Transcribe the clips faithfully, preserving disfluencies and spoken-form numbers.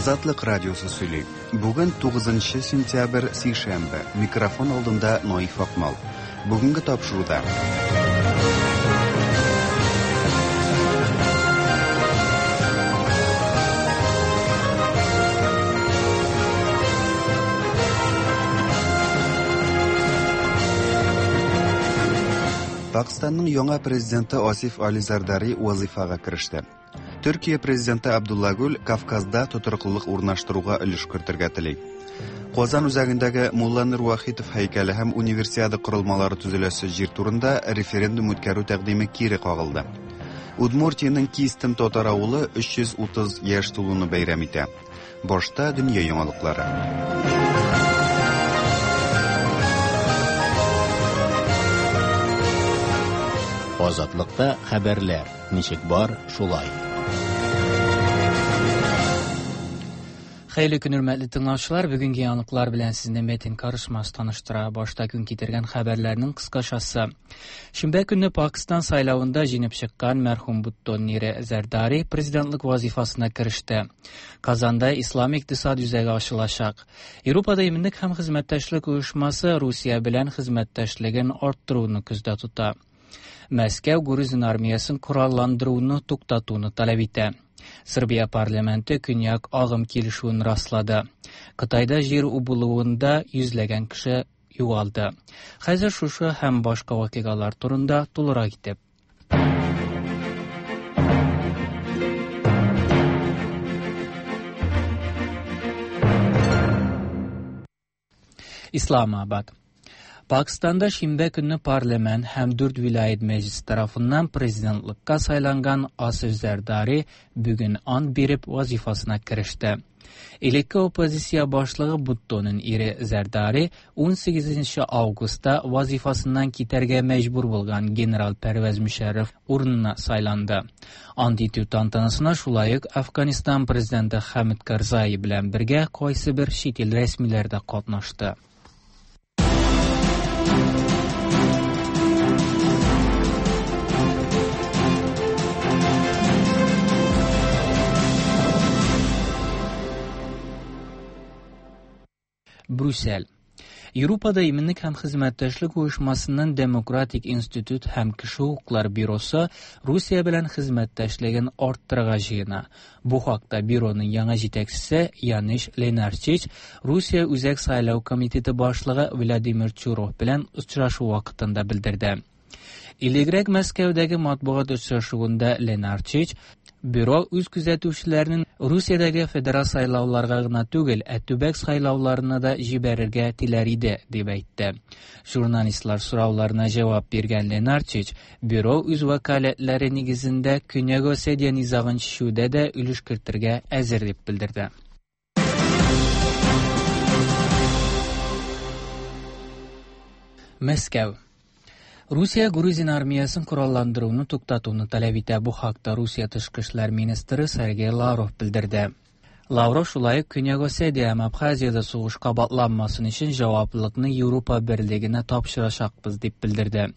Азатлык радиосы сөйли. Бүген тугызынчы сентябрь, сишәмбе. Микрофон алдында Наиф Акмал. Бүгенге тапшыруда. Пакистанның яңа президенты Асиф Али Зардари вазифага кереште. Төркия президенты Абдулла Гүл Кавказда тотрыклылык урнаштыруга өлеш кертергә тели. Казан үзәгендәге Мулланур Вахитов һәйкәле һәм универсиада корылмалары төзеләсе җир турында референдум үткәрү тәкъдиме кире кагылды. Удмуртиянең Кистем татар авылы өч йөз утыз яшь тулуны бәйрәм итә. Башта дөнья яңалыклары. Азатлыкта хәбәрләр ничек бар, шулай. Хәерле көн, хөрмәтле тыңлаучылар. Бүгенге яңалыклар белән сезне Метин Карышмас таныштыра. Башта көн китергән хәбәрләрнең кыскачасы. Шимбә көнне Пакистан сайлавында җиңеп чыккан мәрхүм Буттон Нире Зәрдари президентлык вазифасына кереште. Казанда Ислам икътисад үзәге ачылачак. Европада иминлек һәм хезмәттәшлек оешмасы Русия белән хезмәттәшлеген арттыруны күздә тота. Мәскәү Грузин армиясын коралландыруны туктатуны таләп итә. Сербия парламенты көньяк агым килешүен раслады. Кытайда җир убылуында йөзләгән кеше югалды. Хәзер шушы һәм башка вакыйгалар турында тулырак итеп. Исламабад. Пакистанда шимбә көнне парламент һәм дүрт вилаят мәҗлесе тарафыннан президентлыкка сайланган Асиф Зәрдари бүген ант биреп вазифасына кереште. Элекке оппозиция башлыгы Буттонын ире Зәрдари ун сигезенче августта вазифасыннан китәргә мәҗбүр булган генерал Пәрвәз Мөшәррәф урынына сайланды. Ант итү тантанасына шулай ук Афганистан президенты Хәмид Карзай белән бергә кайсы бер чит ил рәсмиләре дә катнашты. Брюссель. Европада иминлек һәм хезмәттәшлек оешмасының Демократик институт һәм кеше хокуклары бюросы Русия белән хезмәттәшлеген арттырырга җыена. Бу хакта бюроның яңа җитәкчесе Яниш Ленарчич Русия Үзәк сайлау комитеты башлыгы Владимир Чуров белән очрашу вакытында белдерде. Элегрәк Мәскәүдәге матбугат очрашуында Ленарчич бюро үз күзәтүчеләренең Русиядәге федераль сайлауларга гына түгел, ә төбәк сайлауларына да җибәрергә теләр иде, дип әйтте. Журналистлар сорауларына җавап биргән Ленарчич бюро үз вәкаләтләре нигезендә Көньяк Осетия низагын чишүдә дә өлеш кертергә әзер дип белдерде. Мәскәү. Русия Грузин армиясын коралландыруны туктатуны таләп итә. Бу хакта Русия тышкы эшләр министры Сергей Лавров белдерде. Лавров шулай ук Көньяк Осетия һәм Абхазиядә сугыш кабатланмасын өчен җаваплылыкны Европа Берлегенә тапшырачакбыз дип белдерде.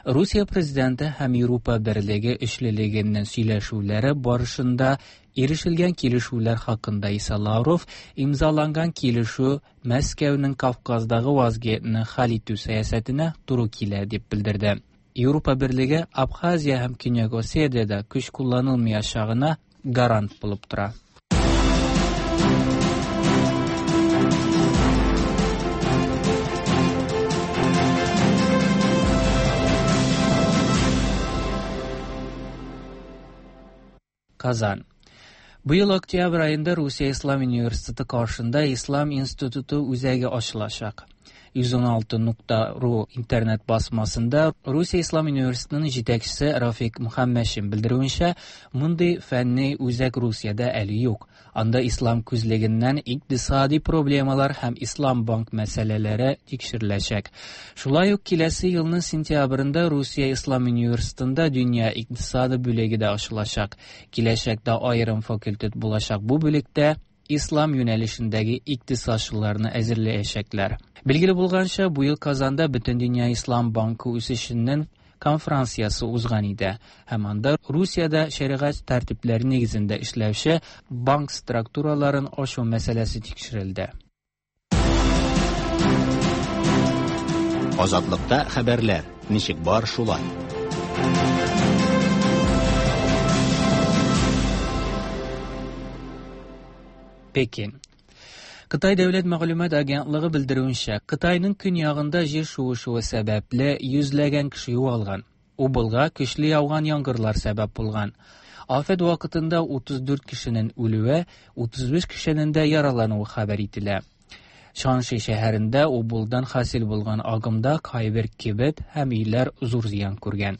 Русия президенты һәм Европа Берлеге өчлелегеннән сөйләшүләре барышында ирешелгән килешүләр хакында исә Лавров имзаланган килешү Мәскәүнең Кавказдагы вазгыятьне хәл итү сәясәтенә туры килә дип белдерде. Европа Берлеге Абхазия һәм Көньяк Осетиядә көч кулланылмаячагына гарант булып тора. Казан. Бу ел октябрь айында Русия Ислам университеты каршында Ислам институты үзәге ачылачак. Йөз ун алты нокта ру интернет басмасында Русия Ислам университетының җитәкчесе Рафик Мөхәммәтшин белдерүенчә, мондый фәнни үзәк Русиядә әле юк. Анда ислам күзлегеннән икътисади проблемалар һәм ислам банк мәсьәләләре тикшереләчәк. Шулай ук киләсе елның сентябрендә Русия Ислам университетында дөнья икътисады бүлеге дә ачылачак. Киләчәктә аерым факультет булачак бу бүлектә ислам юнәлешендәге икътисадчыларны әзерләячәкләр. Билгеле булганча, бу ел Казанда Бөтендөнья Ислам банкы үсешенең конференциясе узган иде һәм анда Русиядә шәригать тәртипләре нигезендә эшләүче банк структураларын ачу мәсьәләсе тикшерелде. Азатлыкта хәбәрләр ничек бар шулай. Пекин. Кытай дәүләт мәгълүмат агентлыгы белдерүенчә, Кытайның көньягында җир шуышуы сәбәпле йөзләгән кеше югалган. Убылга көчле яуган яңгырлар сәбәп булган. Афәт вакытында утыз дүрт кешенең үлүе, утыз биш кешенең дә яралануы хәбәр ителә. Шанши шәһәрендә Убылдан хасил булган агымда кайбер кибет һәм өйләр зур зыян күргән.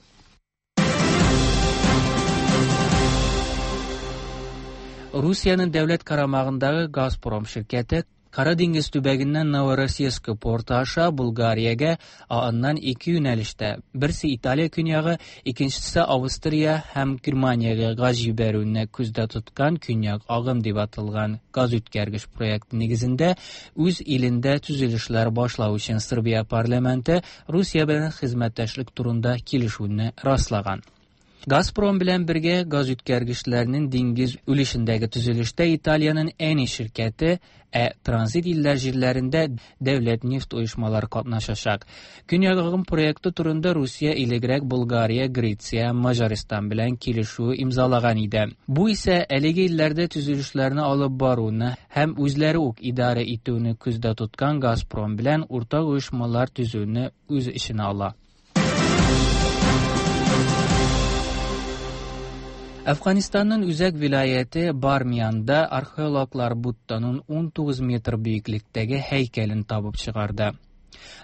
Русиянең дәүләт карамагындагы Газпром ширкәте Кара диңгез төбәгеннән Новороссийск порты аша Булгариягә, ә аннан ике юнәлештә, берсе Италия көньягы, икенчесе Австрия һәм Германиягә газ җибәрүне күздә тоткан Көньяк агым дип аталган газ үткәргеч проекты нигезендә үз илендә төзелешләр башлау өчен Сербия парламенты Русия белән хезмәттәшлек турында килешүне раслаган. Газпром белән бергә газ үткәргечләрнең диңгез өлешендәге төзелештә Италиянең Eni ширкәте, ә транзит илләр җирләрендә дәүләт нефть оешмалары катнашачак. Көньяк агым проекты турында Русия элегрәк Булгария, Греция, Маҗаристан белән килешү имзалаган иде. Бу исә әлеге илләрдә төзелешләрне алып баруны һәм үзләре үк идарә итүне күздә тоткан Газпром белән уртак оешмалар төзүне үз эченә ала. Әфганстанның үзәк вилаяте Бармиянда археологлар Будданың ун тугыз метр биеклектәге һәйкәлен табып чыгарды.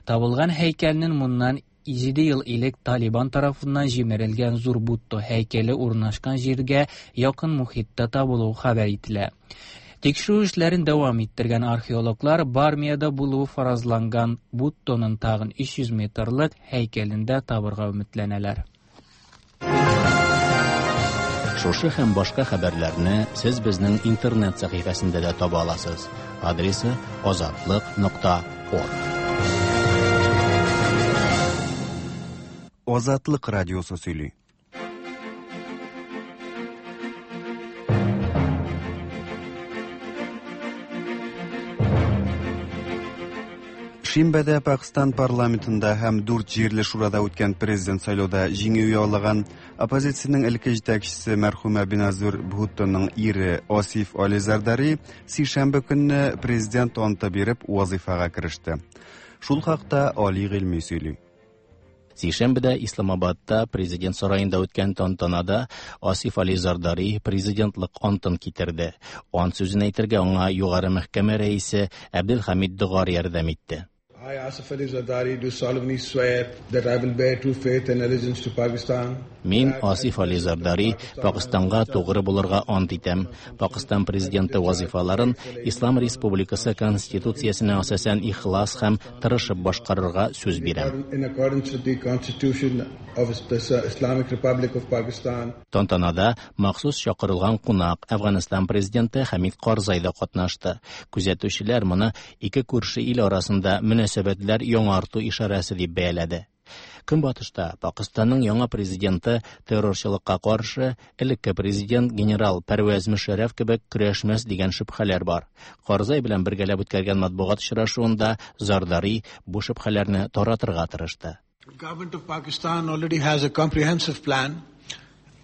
Табылган һәйкәлнең моннан җиде ел элек Талибан тарафыннан җимерелгән зур Будда һәйкәле урнашкан җиргә якын мохиттә табылуы хәбәр ителә. Тикшерү эшләрен дәвам иттергән археологлар Бармияда булуы фаразланган Будданың тагын өч йөз метрлык һәйкәлен дә табырга өметләнәләр. Шушы һәм башка хәбәрләрне сез безнең интернет сәхифәсендә дә таба аласыз. Адресы азатлык нокта орг. Азатлык радиосы сөйли. Шимбәдә Пакстан парламентында һәм дүрт җирле шурада үткән президент сайлауда җиңү яулаган оппозициянең элекке җитәкчесе мәрхүмә Беназир Бхуттоның ире Асиф Али Зардари сишәмбе көнне президент анты биреп вазифага кереште. Шул хакта Али Гыйльми сөйли. Сишәмбедә Исламабадта президент сараенда үткән тантанада Асиф Али Зардари президентлык антын китерде. Ант сүзен әйтергә аңа югары мәхкәмә рәисе Әбделхамид Догар ярдәм итте. I, Asif Ali Zardari, do solemnly swear that I will bear true faith and allegiance to Pakistan. Мин, Асиф Али Зардари, Пакистанга тугры булырга ант итәм. Пакистан президенты вазифаларын Ислам Республикасы Конституциясенә асасән ихлас һәм тырышып башкарырга сүз бирәм. In accordance with the Constitution of the Islamic Republic of Pakistan. Тантанада махсус чакырылган кунак Әфганстан президенты Хамид Карзай да катнашты. Күзәтүчеләр моны ике күрше ил арасында мөнәсәбәтләр яңарту ишарәсе дип бәяләде. Көнбатышта Пакистанның яңа президенты террорчылыкка каршы элекке президент генерал Пәрвәз Мөшәррәф кебек көрәшмәс дигән шөбһәләр бар. Карзай белән бергәләп үткәргән матбугат очрашуында Зардари бу шөбһәләрне таратырга тырышты. The government of Pakistan already has a comprehensive plan,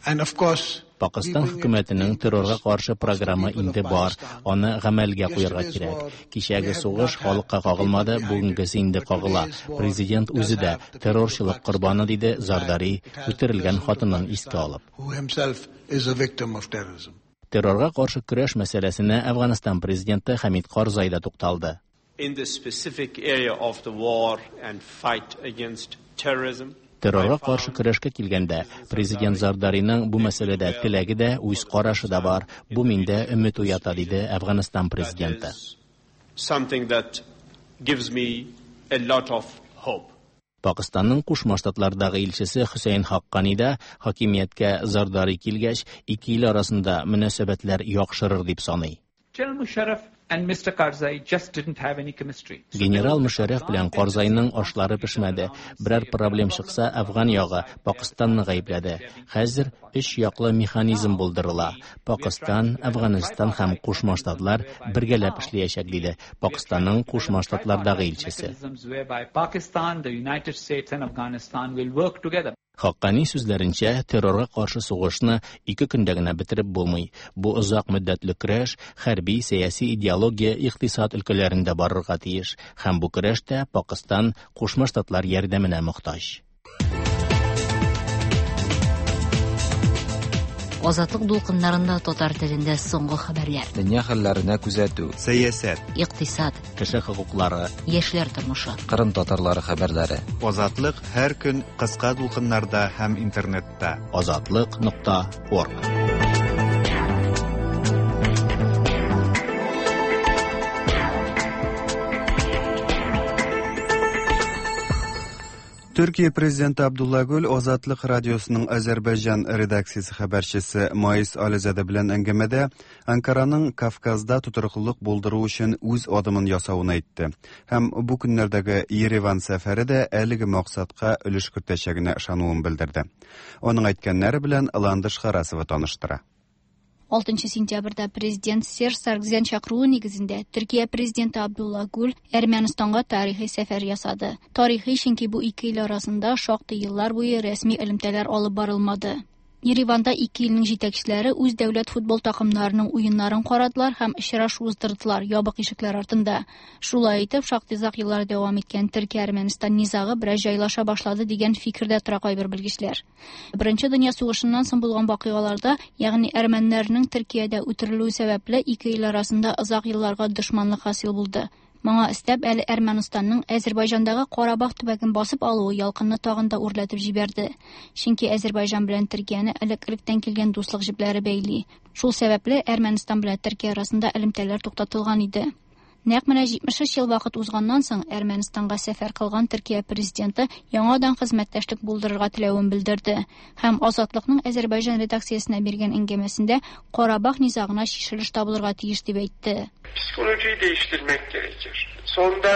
and of course Пакистан хөкүмәтенең террорга каршы програмы инде бар, аны гамәлгә куярга кирәк. Кичәге сугыш халыкка кагылмады, бүгенгесе инде кагыла. Президент үзе дә террорчылык корбаны, диде Зардари, үтерелгән хатынын искә алып. Террорга каршы көрәш мәсьәләсенә Әфганстан президенты Хамид Карзай да тукталды. In the specific area of the war and fight against terrorism, Террорга каршы көрәшкә килгәндә, президент Зардариның бу мәсьәләдә теләге дә, үз карашы да бар. Бу миндә өмет уята, диде Әфганстан президенты. Something that gives me a lot of hope. Пакистанның Кушма Штатлардагы илчесе Хөсәен Хаккани да хакимияткә Зардари килгәч, ике ил арасында мөнәсәбәтләр яхшырыр дип саный. General Musharraf and Mister Karzai just didn't have any chemistry. Генерал Мөшәррәф белән Карзайның ашлары пешмәде. Берәр проблем чыкса, Әфган ягы Пакыстанны гаепләде. Хәзер өч яклы механизм булдырыла. Пакыстан, Әфганстан һәм Кушма Штатлар бергәләп эшләячәк, диде Пакыстанның Кушма Штатлардагы илчесе. Pakistan, the United States and Afghanistan will work together. Хаккани сүзләренчә, террорга каршы сугышны ике көндә генә бетереп булмый. Бу озак мөддәтле көрәш хәрби, сәяси, идеология, икътисад өлкәләрендә барырга тиеш. Һәм бу көрәштә Пакыстан Кушма Штатлар ярдәменә мохтаҗ. Азатлык дулкыннарында татар телендә соңгы хәбәрләр. Дөнья хәлләренә күзәтү. Сәясәт, икътисад, кеше хокуклары, яшьләр тормышы, Кырым татарлары хәбәрләре. Азатлык һәр көн кыска дулкыннарда һәм интернетта. Азатлык нокта орг. Төркия президенты Абдулла Гүл Азатлык радиосының Азәрбайҗан редакциясе хәбәрчесе Маис Ализаде белән әңгәмәдә Анкараның Кавказда тотрыклылык булдыру өчен үз адымын ясавын әйтте. Һәм бу көннәрдәге Ереван сәфәре дә әлеге максатка өлеш кертәчәгенә ышануын белдерде. Аның әйткәннәре белән Ландыш Харасова таныштыра. Алтынчы сентябрьдә президент Серж Саргсян чакыруы нигезендә Төркия президенты Абдулла Гүл Әрмәнстанга тарихи сәфәр ясады. Тарихи, чөнки бу ике ил арасында шактый еллар буе рәсми элемтәләр алып барылмады. Ереванда ике илнең җитәкчеләре үз дәүләт футбол такымнарының уеннарын карадылар һәм очрашу уздырдылар ябык ишекләр артында. Шулай итеп, шактый озак еллар дәвам иткән Төркия-Әрмәнстан низагы бераз җайлаша башлады дигән фикердә тора кайбер белгечләр. Беренче дөнья сугышыннан соң булган вакыйгаларда, ягъни әрмәннәрнең Төркиядә үтерелүе сәбәпле ике ил арасында озак елларга дошманлык хасил булды. Моңа өстәп әле Әрмәнстанның Азәрбайҗандагы Карабах төбәген басып алуы ялкынны тагын да үрләтеп җибәрде. Чөнки Азәрбайҗан белән Төркияне элек-электән килгән дуслык җепләре бәйли. Шул сәбәпле Әрмәнстан белән Төркия арасында элемтәләр туктатылган иде. Нәкъ менә җитмеш өч ел вакыт узганнан соң Әрмәнстанга сәфәр кылган Төркия президенты яңадан хезмәттәшлек булдырырга теләвен белдерде һәм Азатлыкның Азәрбайҗан редакциясенә биргән әңгәмәсендә Карабах низагына чишелеш табылырга тиеш дип әйтте. Psikolojiyi değiştirmek gerekir. Sonunda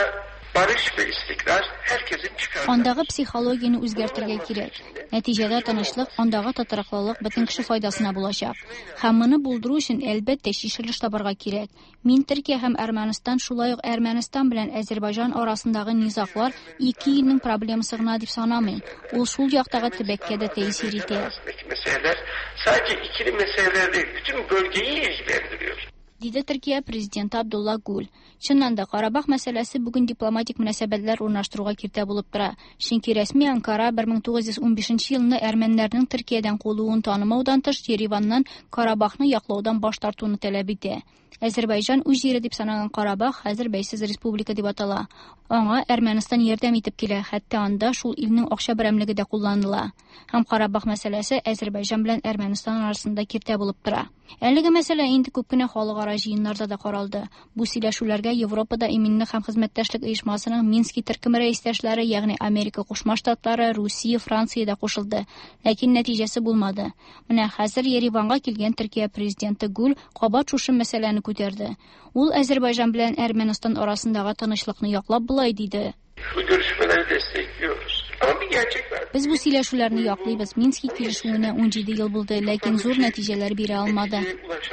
barış ve istikrar herkesin çıkarı. Андагы психологияне үзгәртергә кирәк. Нәтиҗәдә тынычлык, андагы тотрыклылык бөтен кеше файдасына булачак. Һәм моны булдыру өчен әлбәттә чишелеш табарга кирәк. Мин Төркия һәм Әрмәнстан, шулай ук Әрмәнстан белән Азәрбайҗан арасындагы низаглар ике илнең проблемасы гына дип санамыйм. Ул шул яктагы төбәккә дә тәэсир итә. Meseleler sadece ikili meseleler değil, bütün bölgeyi ilgilendiriyor. Диде Төркия президенты Абдулла Гүл. Чыннан да Карабах мәсьәләсе бүген дипломатик мөнәсәбәтләр урнаштыруга киртә булып тора. Чөнки рәсми Анкара бер мең тугыз йөз унбишенче елны әрмәннәрнең Төркиядән куылуын танымаудан тыш Ереваннан Карабахны яклаудан баш тартуны таләп итә. Азәрбайҗан үз җире дип саналган Карабах хәзер бәйсез республика дип атала. Аңа Әрмәнстан ярдәм итеп килә, хәтта анда шул илнең акча берәмлеге дә кулланыла. Һәм Карабах мәсьәләсе Азәрбайҗан белән Әрмәнстан арасында киртә булып тора. Әлеге мәсьәлә инде күп кенә халыкара җыеннарда да каралды. Бу сөйләшүләргә Европада иминлек һәм хезмәттәшлек оешмасының Мински төркеме рәистәшләре, ягъни Америка Кушма Штатлары, Русия, Франция дә кушылды. Ләкин нәтиҗәсе булмады. Менә хәзер Ереванга килгән Төркия президенты Гүл кабат шушы мәсьәләне күтәрде. Ул Азәрбайҗан белән Әрмәнстан арасындагы тынычлыкны яклап болай диде. Bu görüşmeleri destekliyoruz. Ama bir gerçek var. Без бу сөйләшүләрне яклыйбыз. Мински килешүенә унҗиде ел булды, ләкин зур нәтиҗәләр бирә алмады.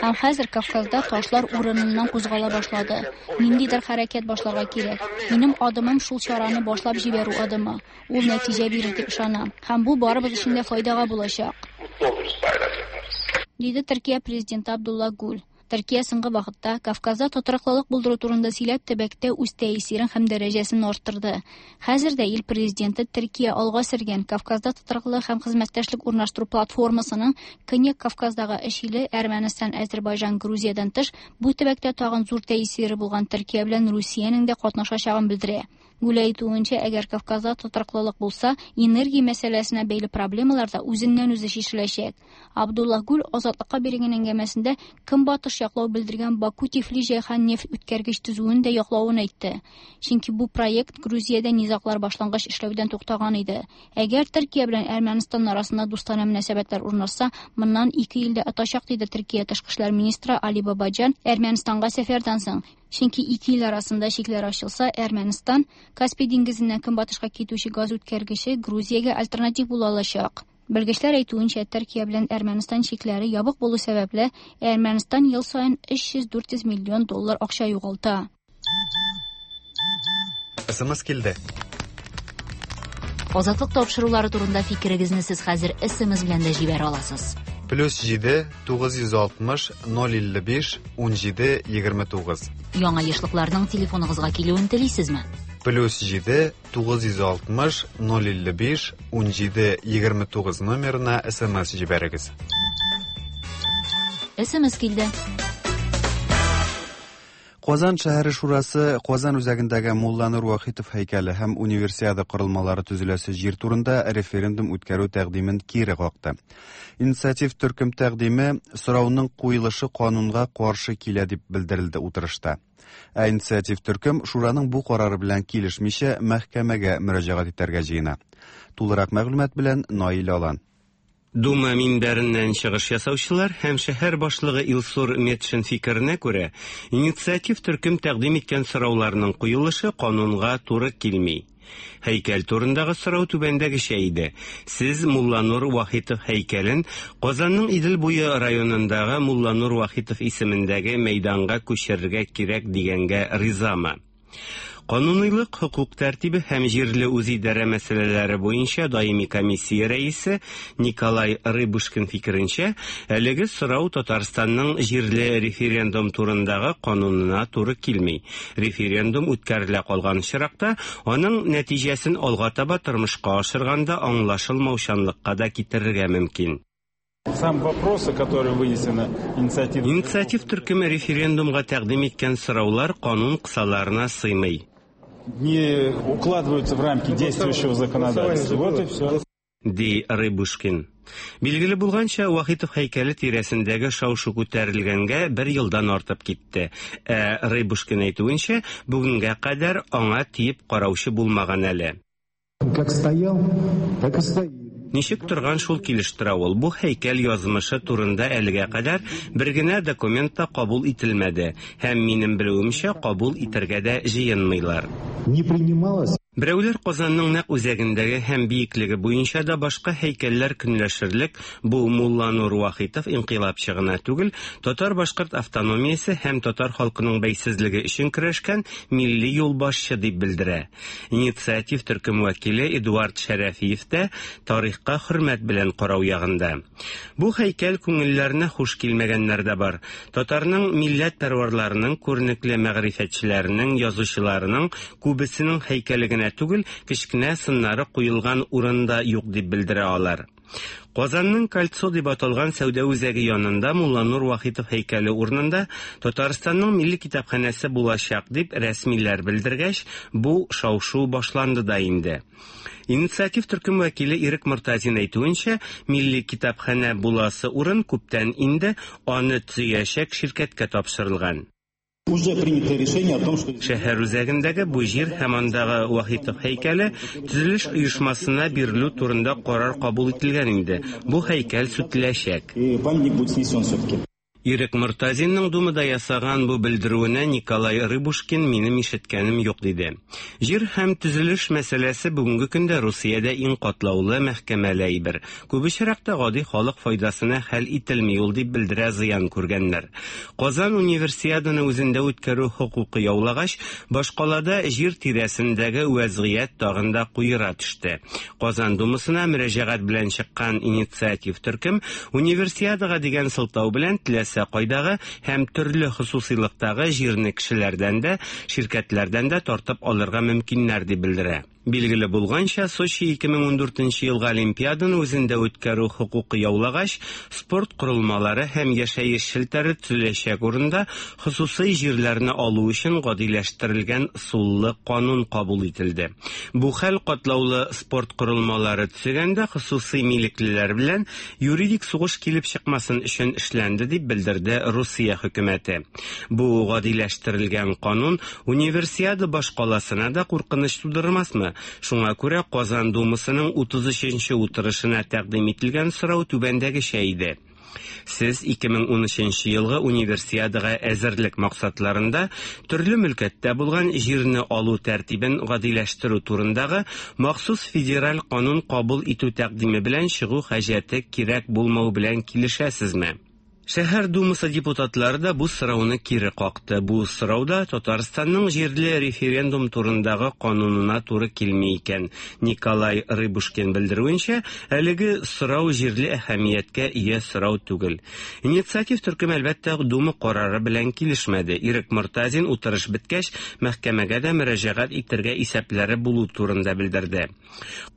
Һәм хәзер Кавказда ташлар урыныннан кузгала башлады. Ниндидер хәрәкәт башларга кирәк. Минем адымым шул чараны башлап җибәрү адымы. Ул нәтиҗә бирер дип ышанам. Һәм бу барыбыз өчен дә файдага булачак. Mutlu oluruz, bayram yaparız. Диде Төркия президенты Абдулла Гүл. Төркия соңгы вакытта Кавказда тотрыклылык булдыру турында сөйләп төбәктә үз тәэсирен һәм дәрәҗәсен арттырды. Хәзер дә ил президенты Төркия алга сөргән Кавказда тотрыклылык һәм хезмәттәшлек урнаштыру платформасының Көньяк Кавказдагы эш иле Әрмәнстан, Азәрбайҗан, Грузиядән тыш бу төбәктә тагын зур тәэсире булган Төркия белән Русиянең дә катнашачагын белдерә. Гүл әйтүенчә, әгәр Кавказда тотрыклылык булса, энергия мәсьәләсенә бәйле проблемалар да үзеннән-үзе чишеләчәк. Абдулла Гүл Азатлыкка биргән әңгәмәсендә Көнбатыш яклау белдергән Баку-Тифли-Җәйхан нефть үткәргеч төзүен дә яклавын әйтте. Чөнки бу проект Грузиядә низаглар башлангач эшләүдән туктаган иде. Әгәр Төркия белән Әрмәнстан арасында дустанә мөнәсәбәтләр урнашса, моннан ике ил дә отачак, диде Төркия тышкы эшләр министры Али Бабаҗан Әрмәнстанга сәфәрдән соң. Чөнки ике ил арасында чикләр ачылса, Әрмәнстан Каспий диңгезеннән көнбатышка китүче газ үткәргече Грузиягә альтернатив була алачак. Белгечләр әйтүенчә, Төркия белән Әрмәнстан чикләре ябык булу сәбәпле, Әрмәнстан ел саен өч йөз-дүрт йөз миллион доллар акча югалта. СМС килде. Азатлык тапшырулары турында фикерегезне сез хәзер СМС белән дә җибәрә аласыз. Плюс җиде тугыз йөз алтмыш ноль илле биш ун җиде егерме тугыз. Яңа ешлыкларның телефоныгызга килүен телисезме? Плюс җиде тугыз йөз алтмыш ноль илле биш ун җиде егерме тугыз номерына СМС җибәрегез. СМС килде. Казан шәһәре шурасы Казан үзәгендәге Мулланур Вахитов һәйкәле һәм универсиада корылмалары төзеләсе җир турында референдум үткәрү тәкъдимен кире какты. Инициатив төркем тәкъдиме сорауның куелышы канунга каршы килә дип белдерелде утырышта. Ә инициатив төркем шураның бу карары белән килешмичә мәхкәмәгә мөрәҗәгать итәргә җыена. Тулырак мәгълүмат белән Наил Алан. Дума минбәреннән чыгыш ясаучылар һәм шәһәр башлыгы Илсур Метшин фикеренә күрә, инициатив төркем тәкъдим иткән сорауларның куелышы канунга туры килми. Һәйкәл турындагы сорау түбәндәгечә иде. Сез Мулланур Вахитов һәйкәлен Казанның Идел буе районындагы Мулланур Вахитов исемендәге мәйданга күчерергә кирәк дигәнгә ризамы? Кануныйлык, хукук тәртибе һәм җирле үзидарә мәсьәләләре буенча даими комиссия рәисе Николай Рыбушкин фикеренчә, әлеге сорау Татарстанның җирле референдум турындагы канунына туры килми. Референдум үткәрелә калган очракта, аның нәтиҗәсен алга таба тормышка ашырганда аңлашылмаучанлыкка да китерергә мөмкин. Сам вопросы, которые вынесены инициатив... Инициатив төркеме референдумга тәкъдим иткән сораулар канун кысаларына сыймый. Не укладываются в рамки действующего законодательства. Вот и все. Ди Рыбушкин. Билгеле булганча, Вахитов һәйкәле тирәсендәге шау-шу күтәрелгәнгә бер елдан артып китте. Ә Рыбушкин әйтүенчә, бүгенгә кадәр аңа тиеп караучы булмаган әле. Как стоял, так и стоит. Ничек торган шул килеш тора ул. Бу һәйкәл язмышы турында әлегә кадәр бер генә документ та кабул ителмәде һәм минем белүемчә кабул итәргә дә җыенмыйлар. Не принималось. Берәүләр Казанның нәкъ үзәгендәге һәм биеклеге буенча да башка һәйкәлләр көнләшерлек бу Мулланур Вахитов инкыйлабчы гына түгел, татар-башкорт автономиясе һәм татар халкының бәйсезлеге өчен көрәшкән милли юлбашчы дип белдерә. Инициатив төркем вәкиле Эдуард Шәрәфиев тә тарихка хөрмәт белән карау ягында. Бу һәйкәл күңелләренә хуш килмәгәннәр дә бар. Татарның милләт пәрварларының, күренекле мәгърифәтчеләренең, язучыларының күбесенең һәйкәле генә түгел, кечкенә сыннары куелган урында юк дип белдерә алар. Казанның Кольцо дип аталган сәүдә үзәге янында Мулланур Вахитов һәйкәле урынында Татарстанның милли китапханәсе булачак дип рәсмиләр белдергәч, бу шау-шу башланды да инде. Инициатив төркем вәкиле Ирек Мортазин әйтүенчә, милли китапханә буласы урын күптән инде аны төзәячәк ширкәткә тапшырылган. Уже принято решение о том, что шәһәр үзәгендәге бу җир һәм андагы Вахитов һәйкәле төзелеш оешмасына бирелү турында карар кабул ителгән инде. Бу һәйкәл сүтеләчәк. И памятник будет снесен все-таки. Ирек Мортазинның Думада ясаган бу белдерүенә Николай Рыбушкин минем ишеткәнем юк диде. Җир һәм төзелеш мәсьәләсе бүгенге көндә Русиядә иң катлаулы мәхкәмәле әйбер. Күп очракта гади халык файдасына хәл ителми ул дип белдерә зыян күргәннәр. Казан универсиаданы үзендә үткәрү хокукы яулагач, башкалада җир тирәсендәге вәзгыять тагын да куера төште. Казан Думасына мөрәҗәгать белән чыккан инициатив төркем универсиадага дигән сылтау белән теләсә кайдагы һәм төрле хосусыйлыктагы җирне кешеләрдән дә, ширкәтләрдән дә тартып алырга мөмкиннәр дип белдерә. Билгеле булганча, Сочи ике мең ундүртенче елгы Олимпиаданы үзендә үткәрү хокукы яулагач, спорт корылмалары һәм яшәеш челтәре төзеләчәк урында хосусый җирләрне алу өчен гадиләштерелгән суллы канун кабул ителде. Бу хәл катлаулы спорт корылмалары төзегәндә хосусый милеклеләр белән юридик сугыш килеп чыкмасын өчен эшләнде дип белдерде Русия хөкүмәте. Бу гадиләштерелгән канун универсиада башкаласына да куркыныч тудырмасмы? Шуңа күрә Казан Думасының утыз өченче утырышына тәкъдим ителгән сорау түбәндәгечә иде. Сез ике мең унөченче елгы универсиадага әзерлек максатларында төрле мөлкәттә булган җирне алу тәртибен гадиләштерү турындагы махсус федераль канун кабул итү тәкъдиме белән чыгу хаҗәте кирәк булмау белән килешәсезме? Шәһәр думасы депутатлары да бу сорауны кире какты. Бу сорау да Татарстанның җирле референдум турындагы канунына туры килми икән. Николай Рыбушкин белдерүенчә, әлеге сорау җирле әһәмияткә ия сорау түгел. Инициатив төркем әлбәттә Дума карары белән килешмәде. Ирек Мортазин утырыш беткәч, мәхкәмәгә дә мөрәҗәгать итәргә исәпләре булу турында белдерде.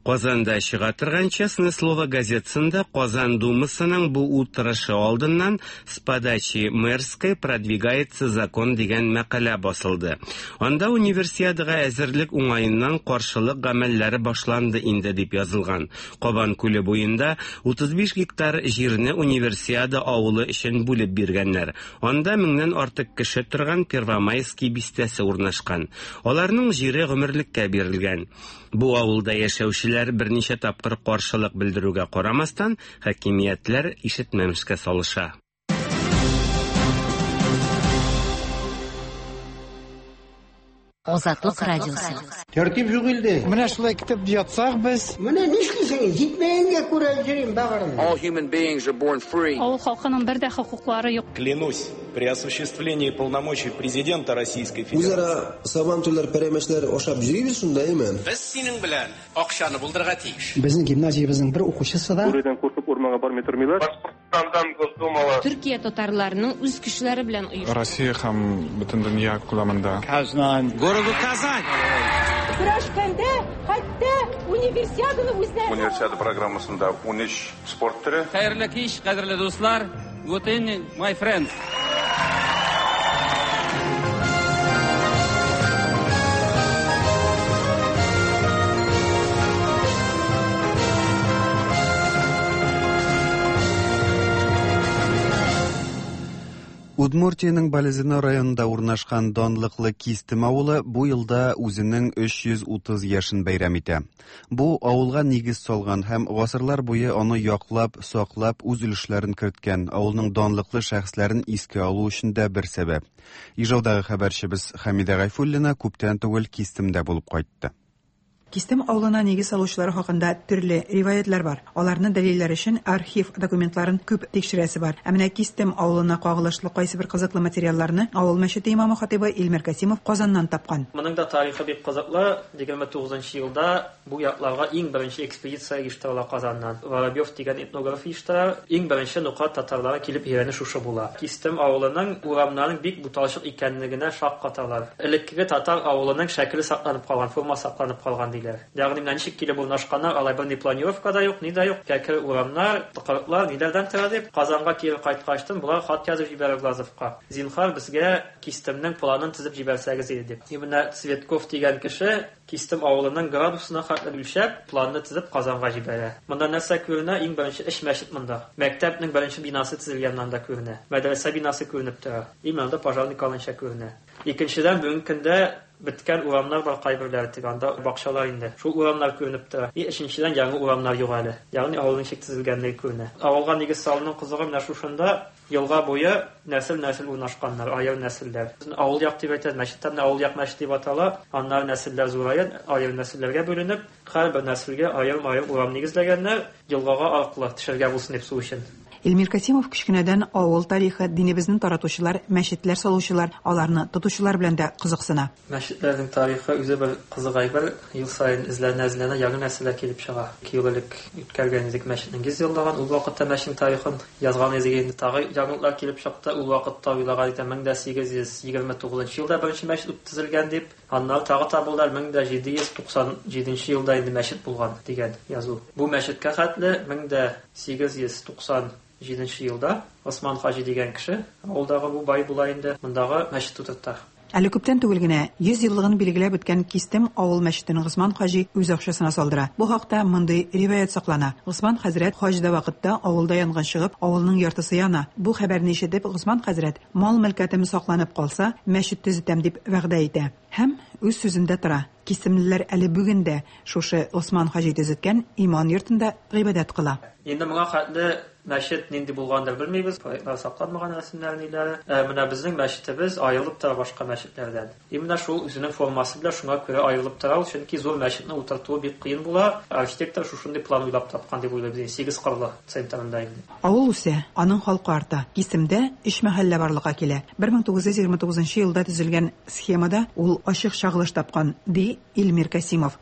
Казанда чыга торган Честное слово газетасында Казан Думасының бу утырышы алдыннан с подачи мэрской продвигается закон дигән мәкалә басылды. Анда универсиадага әзерлек уңаеннан каршылык гамәлләре башланды инде дип язылган. Кабан күле буенда утыз биш гектар җирне универсиада авылы өчен бүлеп биргәннәр. Анда меңнән артык кеше торган Первомайский бистәсе урнашкан. Аларның җире гомерлеккә бирелгән. Бу авылда яшәүчеләр берничә тапкыр каршылык белдерүгә карамастан, хакимиятләр ишетмәмешкә салыша. Азатлык радиосы. Тәртип юк илдә. Менә шулай китеп ятсак без. Менә нишлисең? Җитмәгәнгә күрә йөрим багырым. All human beings are born free. Авыл халкының бер дә хокуклары юк. Клянусь, при осуществлении полномочий президента Российской Федерации. Үзара сабантуйлар, пәрәмәчләр ашап йөрибез шунда, әйме? Без синең белән акчаны булдырырга тиеш. Безнең гимназиябезнең бер укучысы да Бүредән куркып урманга бармый тормыйлар. Башкортстандан Госдумала. Төркия татарларының үз көчләре белән оештырды. Россия һәм бөтен дөнья күләмендә. Казан. Городу Казань. Көрәшкәндә хәтта универсиаданы үзләре. Универсиада программасында унөч спорт төре. Хәерле кич, кадерле дуслар. Good evening, my friends. Удмуртиянең Балезино районында урнашкан данлыклы Кистем авылы бу елда үзенең өч йөз утыз яшен бәйрәм итә. Бу авылга нигез салган һәм гасырлар буе аны яклап, саклап, үз өлешләрен керткән авылның данлыклы шәхесләрен искә алу өчен дә бер сәбәп. Ижаудагы хәбәрчебез Хәмидә Гайфуллина күптән түгел Кистемдә булып кайтты. Кистем авылына нигез салучылар хакында төрле риваятлар бар. Аларны дәлилләр өчен архив документларын күп тикшерәсе бар. Ә менә Кистем авылына кагылышлы кайсы бер кызыклы материалларны авыл мәчете имамы хатибы Илмир Касимов Казаннан тапкан. Моның да тарихы бик кызыклы. егерме тугызынчы елда бу якларга иң беренче экспедиция оештырыла Казаннан. Воробьев дигән этнограф оештыра. Иң беренче нукат татарлары килеп өйрәнү шушы була. Кистем авылының урамнарының бик буталчык икәнлегенә шаккаталар. Элеккеге татар авылының шәкеле сакланып калган, форма сакланып калган. Ягъни менә ничек килеп урнашканнар, алай бер ни планировка да юк, ни дә юк. Кәкре урамнар, тыкрыклар ниләрдән тора дип, Казанга кире кайткачтын булар хат язып җибәрә Глазовка. Зинхар безгә Кистемнең планын төзеп җибәрсәгез иде дип. И менә Цветков дигән кеше Кистем авылының градусына хәтле үлчәп, планны төзеп Казанга җибәрә. Монда нәрсә күренә? Иң беренче эш мәчет монда. Мәктәпнең беренче бинасы төзелгәннән дә күренә. Мәдрәсә бинасы күренеп тора. И монда пожарный калынча күренә. Икенчедән, бүгенге көндә беткән урамнар бар кайберләре тик анда бакчалар инде. Шул урамнар күренеп тора. И өченчедән, яңа урамнар юк әле. Ягъни авылның ничек төзелгәнлеге күренә. Авылга нигез салуның кызыгы менә шушында елга буе нәсел-нәсел урнашканнар, аерым нәселләр. Авыл як дип әйтәбез, мәчеттән дә авыл як мәчет дип атала. Аннары нәселләр зурая, аерым нәселләргә бүленеп, һәрбер нәселгә аерым-аерым урам нигезләгәннәр, елгага аркылы төшергә булсын дип су өчен. Илмир Касимов кечкенәдән авыл тарихы, динебезне таратучылар, мәчетләр салучылар, аларны тотучылар белән дә кызыксына. Мәчетләрнең тарихы үзе бер кызык әйбер. Ел саен эзләнә-эзләнә яңа нәрсәләр килеп чыга. Ике ел элек үткәргән идек мәчетнең йөз еллыгын, ул вакытта мәчетнең тарихын язган идек, инде тагы яңалыклар килеп чыкты. Ул вакытта уйлаган идем мең дә сигез йөз егерме тугызынчы елда беренче мәчет төзелгән дип, аннары тагы табылды мең дә җиде йөз туксан җиденче елда инде мәчет булган дигән язу. Бу мәчеткә хәтле мең дә сигез йөз туксан җиденче елда Осман хаҗи дигән кеше авылдагы бу бай була инде, мондагы мәчет утырта. Әле күптән түгел генә йөз еллыгын билгеләп үткән Кистем авыл мәчетен Госман хаҗи үз акчасына салдыра. Бу хакта мондый риваять саклана. Госман хәзрәт хаҗда вакытта авылда янгын чыгып, авылның яртысы яна. Бу хәбәрне ишетеп, Госман хәзрәт мал мөлкәтем сакланып калса, мәчет төзетәм дип вәгъдә итә. Һәм үз сүзендә тора. Кистемлеләр әле бүген дә шушы Госман хаҗи төзеткән иман йортында гыйбадәт кыла. Инде моңа хәтле мәчет нинди булгандыр белмибез, проектлар сакланмаган рәсемнәр ниләре. Ә менә безнең мәчетебез аерылып тора башка мәчетләрдән. И менә шул үзенең формасы белән шуңа күрә аерылып тора, чөнки зур мәчетне утыртуы бик кыен була. Архитектор шушындый план уйлап тапкан дип уйлыйбыз, сигез кырлы центрында инде. Авыл үсә, аның халкы арта. Кистемдә өч мәхәллә барлыкка килә. бер мең тугыз йөз егерме тугызынчы елда төзелгән схемада ул ачык чагылыш тапкан, ди Илмир Касимов.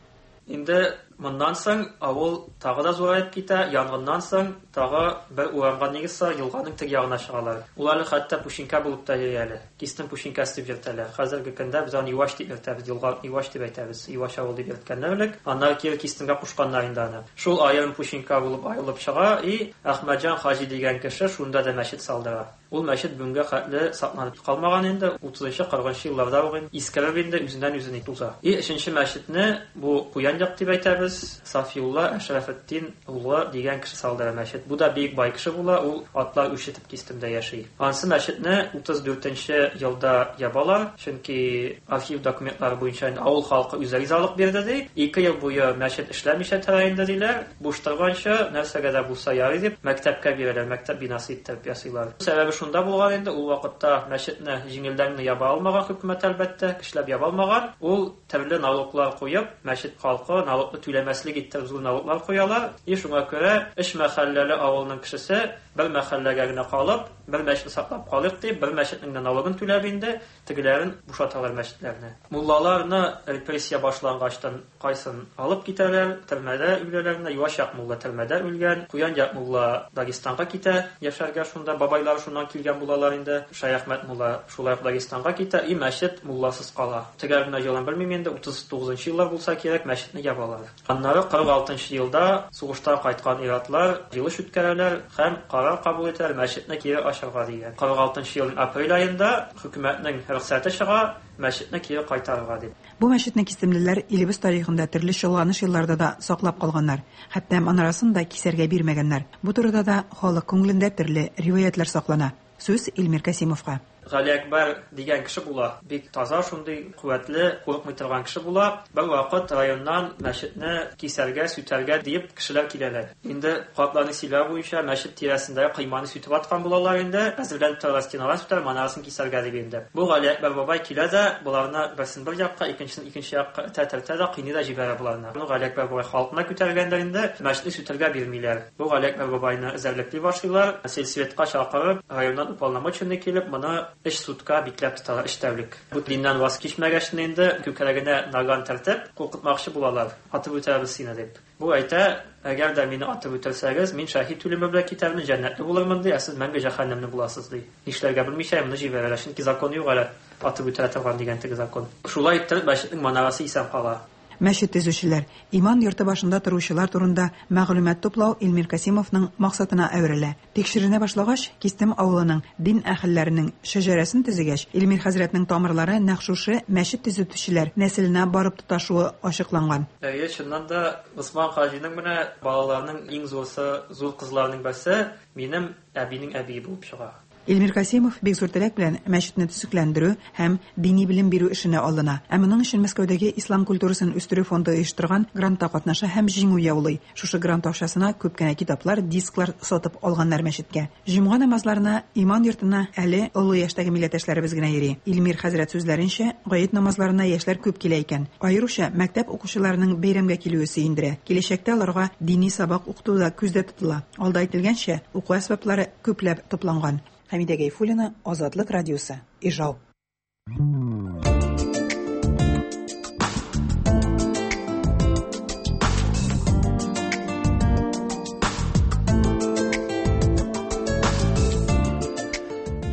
Инде моннан соң авыл тагы да зураеп китә, янгыннан соң тагы бер урамга нигез салып, елганың теге ягына чыгалар. Ул әле хәтта Пушинка булып та йөри әле. Кистем Пушинкасы дип йөртәләр. Хәзерге көндә без аны Юаш дип йөртәбез, елга Юаш дип әйтәбез. Юаш авыл дип йөрткәннәр элек. Аннары кире Кистемгә кушканнар инде аны. Шул аерым Пушинка булып аерылып чыга и Әхмәтҗан хаҗи дигән кеше шунда да мәчет салдыра. Ул мәчет бүгенгә хәтле сакланып калмаган инде, утызынчы, кырыгынчы елларда ук инде искереп инде үзеннән үзен туза. И өченче мәчетне бу Куян як дип әйтәбез, Сафиулла Әшрафетдин улы дигән кеше салдыра мәчет. Бу да бик бай кеше була, ул атлар үрчетеп Кистемдә яши. Ансы мәчетне утыз дүртенче елда ябалар, чөнки архив документлары буенча авыл халкы үзе ризалык бирде ди. Ике ел буе мәчет эшләмичә тора инде диләр. Буш торганчы нәрсәгә дә булса ярый дип мәктәпкә бирәләр, мәктәп бинасы итеп ясыйлар. Сәбәбе шунда булган инде, ул вакытта мәчетне җиңелдән генә яба алмаган хөкүмәт әлбәттә, кешеләр яба алмаган. Ул төрле налоглар куеп, мәчет халкы налогны түләмәслек итеп зур налоглар куялар. И шуңа күрә өч мәхәлләле авылның кешесе бер мәхәлләгә генә калып, бер мәчетне саклап калыйк дип, бер мәчетнең дә налогын түләп инде, тегеләрен бушаталар мәчетләрне. Муллаларны репрессия башлангачтан кайсын алып китәләр, төрмәдә үләләр, Юаш як мулла төрмәдә үлгән, Куян як мулла Дагестанга китә, яшәргә шунда бабайлар шуннан килгән булалар инде. Шәяхмәт мулла шулай ук Дагестанга китә, и мәчет мулласыз кала. Төгәл генә елын белмим инде, утыз тугызынчы еллар булса кирәк, мәчетне ябалар. Аннары кырык алтынчы елда сугыштан кайткан ир-атлар җыелыш үткәрәләр һәм карар кабул итәләр мәчетне кире ачарга дигән. Кырык алтынчы елның апрель аенда хөкүмәтнең рөхсәте чыга, мәчетне кире кайтарырга дип. Бу мәчетне кистемлеләр илебез тарихында төрле чолганыш елларда да саклап калганнар. Хәтта манарасын да кисәргә бирмәгәннәр. Бу турыда да халык күңелендә төрле риваятлар саклана. Сүз Илмир Касимовка. Гали Әкбәр дигән кеше була. Бик таза, шундый куәтле, курыкмый торган кеше була. Бер вакыт районнан мәчетне кисәргә, сүтәргә диеп кешеләр киләләр. Инде картларның сөйләве буенча мәчет тирәсендәге кыйманы сүтеп аткан булалар инде. Әзерләнеп торган стеналар сүтәр, манарасын кисәргә дип инде. Бу Гали Әкбәр бабай килә дә, боларны берсен бер якка, икенчесен икенче якка этә-тәртә дә кыйный да җибәрә боларны. Бу Гали Әкбәр бабай халкына күтәргәндер инде, мәчетне сүтәргә бирмиләр. Бу Гали Әкбәр бабайны эзәрлекли башлыйлар. Сельсоветка чакырып, районнан уполномоченный килеп, моны өч сутка бикләп тоталар, өч тәүлек. Бу диннән ваз кичмәгәч инде күкрәгенә наган тәртеп, куркытмакчы булалар. Атып үтерәбез сине дип. Бу әйтә, әгәр дә мине атып үтерсәгез, мин шәһид үлеме белән китәрмен, җәннәтле булырмын ди, ә сез мәңге җәһәннәмне буласыз ди. Нишләргә белмичә моны җибәрәләр, чөнки закон юк әле атып үтерә торган дигән теге закон. Шулай итеп мәчетнең манарасы исән кала. Мәчет төзүчеләр, иман йорты башында торучылар турында мәгълүмат туплау Илмир Касимовның максатына әверелә. Тикшеренә башлагач, Кистем авылының дин әһелләренең шәҗәрәсен төзегәч, Илмир хәзрәтнең тамырлары нәкъ шушы мәчет төзүчеләр нәселенә барып тоташуы ачыкланган. Әйе, чыннан да Госман хаҗиның менә балаларының иң зурсы, зур кызларының берсе минем әбинең әбие булып чыга. Илмир Касимов бик зур теләк белән мәчетне төзекләндерү һәм дини белем бирү эшенә алына. Ә моның өчен Мәскәүдәге Ислам культурасын үстерү фонды оештырган грантта катнаша һәм җиңү яулый. Шушы грант акчасына күп кенә китаплар, дисклар сатып алганнар мәчеткә. Җомга намазларына иман йортына әле олы яшьтәге милләттәшләребез генә йөри. Илмир хәзрәт сүзләренчә, гает намазларына яшьләр күп килә икән. Аеруча мәктәп укучыларының бәйрәмгә килүе сөендерә. Киләчәктә аларга дини сабак укыту да күздә тотыла. Алда әйтелгәнчә, уку әсбаплары күпләп тупланган. Хәмидә Гайфуллина, Азатлык радиосы, Ижау.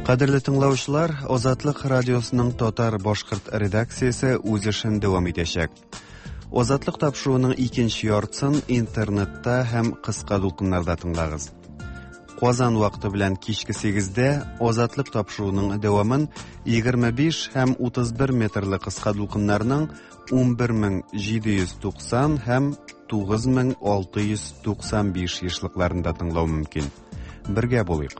Кадерле тыңлаучылар, Азатлык радиосының татар башкорт редакциясе үз эшен дәвам итәчәк. Азатлык тапшыруының икенче яртысын интернетта һәм кыска дулкыннарда тыңлагыз. Казан вакыты белән кичке сигездә Азатлык тапшыруының дәвамын егерме биш һәм утыз бер метрлы кыска дулкыннарның ун бер мең җиде йөз туксан һәм тугыз мең алты йөз туксан биш ешлыкларында тыңлау мөмкин. Бергә булыйк.